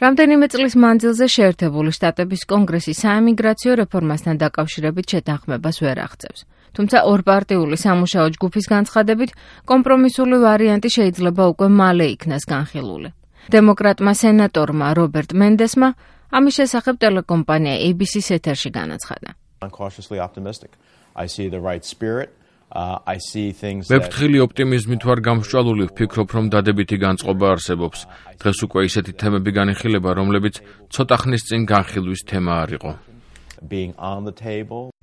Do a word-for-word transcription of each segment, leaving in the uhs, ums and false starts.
რამდენიმე წლის მანძილზე შეერთებული შტატების კონგრესი საიმიგრაციო რეფორმასთან დაკავშირებით შეთანხმებას ვერ აღწევს. თუმცა ორპარტიული სამუშაო ჯგუფის განცხადებით, კომპრომისული ვარიანტი შეიძლება უკვე მალე იქნას განხილული. დემოკრატმა სენატორმა რობერტ მენდესმა ამის შესახებ ტელეკომპანია A B C-ს ეთერში განაცხადა. მე ფრთხილი ოპტიმიზმით ვარ გამსჭვალული, ვფიქრობ, რომ დადებითი განწყობა არსებობს. დღეს უკვე ისეთი თემები განიხილება, რომლებიც ცოტა ხნის წინ განხილვის თემა არ იყო.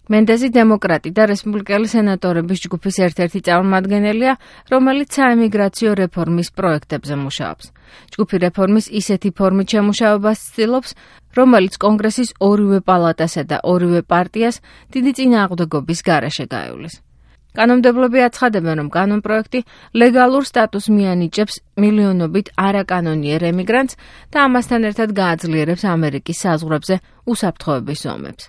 მენდესი დემოკრატი და რესპუბლიკელი სენატორების ჯგუფის ერთ-ერთი წარმომადგენელია, რომელიც საიმიგრაციო რეფორმის პროექტებზე მუშაობს. ჯგუფი რეფორმის ისეთი ფორმით შემუშავებას ცდილობს, რომელიც კონგრესის ორივე პალატასა და ორივე პარტიას დიდი წინააღმდეგობის გარეშე გაივლის. კანონმდებლები აცხადებენ, რომ კანონპროექტი ლეგალურ სტატუსს მიანიჭებს მილიონობით არაკანონიერ ემიგრანტს და ამასთან ერთად გააძლიერებს ამერიკის საზღვრებზე უსაფრთხოების ზომებს.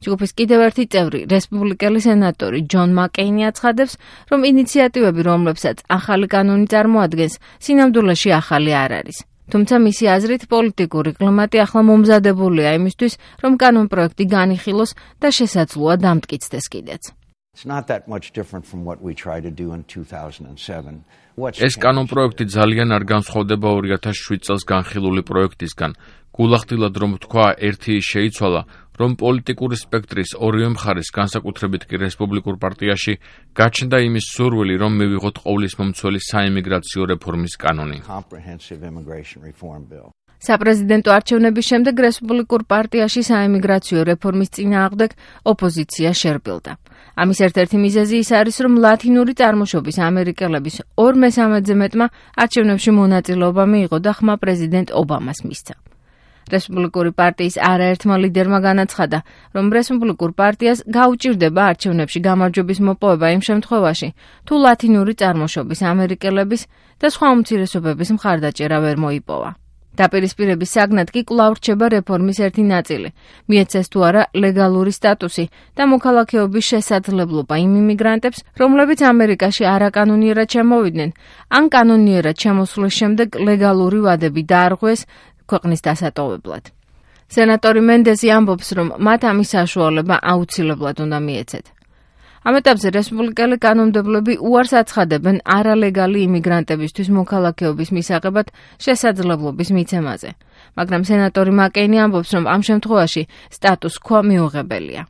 ჯგუფის კიდევ ერთი წევრი, რესპუბლიკელი სენატორი ჯონ მაკეინი აცხადებს, რომ ინიციატივები, რომლებსაც ახალი კანონი წარმოადგენს, სინამდვილეში ახალი არ არის. თუმცა მისი აზრით პოლიტიკური კლიმატი ახლა მომზადებულია იმისთვის, რომ კანონპროექტი განიხილოს და შესაძლოა დამტკიცდეს კიდეც. ეს კანონპროექტი ძალიან არ განსხვავდება ორი ათას შვიდ წელს განხილული პროექტისგან. გულახდილად რომ თქვა, ერთი ის შეიცვალა, რომ პოლიტიკური სპექტრის ორივე მხარეს, განსაკუთრებით კი რესპუბლიკურ პარტიაში, გაჩნდა იმის სურვილი, რომ მივიღოთ ყოვლისმომცველი საიმიგრაციო რეფორმის კანონი. საპრეზიდენტო არჩევნების შემდეგ რესპუბლიკურ პარტიაში საიმიგრაციო რეფორმის წინააღმდეგ ოპოზიცია შერბილდა. ამის ერთ-ერთი მიზეზი ის არის, რომ ლათინური წარმოშობის ამერიკელების ორ მესამედზე მეტმა არჩევნებში მონაწილეობა მიიღო და ხმა პრეზიდენტ ობამას მისცა. რესპუბლიკური პარტიის არაერთმა ლიდერმა განაცხადა, რომ რესპუბლიკურ პარტიას გაუჭირდება არჩევნებში გამარჯვების მოპოვება იმ შემთხვევაში, თუ ლათინური წარმოშობის ამერიკელების და სხვა უმცირესობების მხარდაჭერა ვერ მოიპოვა. დაპირისპირების საგნად კი კვლავ რჩება რეფორმის ერთი ნაწილი, მიეცეს თუ არა ლეგალური სტატუსი და მოქალაქეობის შესაძლებლობა იმ იმიგრანტებს, რომლებიც ამერიკაში არაკანონიერად შემოვიდნენ, ან კანონიერად შემოსვლის შემდეგ ლეგალური ვადები დაარღვეს ქვეყნის დასატოვებლად. სენატორი მენდესი ამბობს, რომ მათ ამის საშუალება აუცილებლად უნდა მიეცეთ. ამ ეტაპზე რესპუბლიკელი კანონმდებლები უარს აცხადებენ არალეგალი იმიგრანტებისთვის მოქალაქეობის მისაღებად შესაძლებლობის მიცემაზე. მაგრამ სენატორი მაკეინი ამბობს, რომ ამ შემთხვევაში სტატუს კვო მიუღებელია.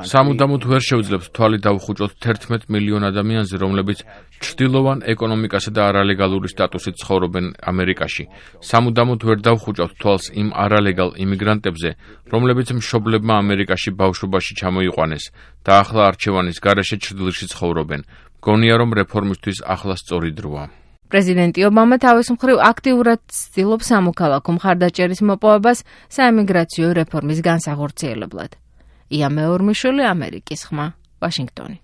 სამუდამოდ ვერ შევძლებთ თვალი დავუხუჭოთ თერთმეტ მილიონ ადამიანზე, რომლებიც ჩრდილოვან ეკონომიკასა და არალეგალური სტატუსით ცხოვრობენ ამერიკაში. სამუდამოდ ვერ დავუხუჭოთ თვალს იმ არალეგალ იმიგრანტებზე, რომლებიც მშობლებმა ამერიკაში ბავშვობაში ჩამოიყვანეს და ახლა არჩევანის გარეშე ჩრდილში ცხოვრობენ. მგონია, რომ რეფორმისთვის ახლა სწორი დროა. პრეზიდენტი ობამა თავის მხრივ აქტიურად ცდილობს სამოქალაქო მხარდაჭერის მოპოვებას საიმიგრაციო რეფორმის განსახორციელებლად. ია მეორმიშვილი, ამერიკის ხმა, ვაშინგტონი.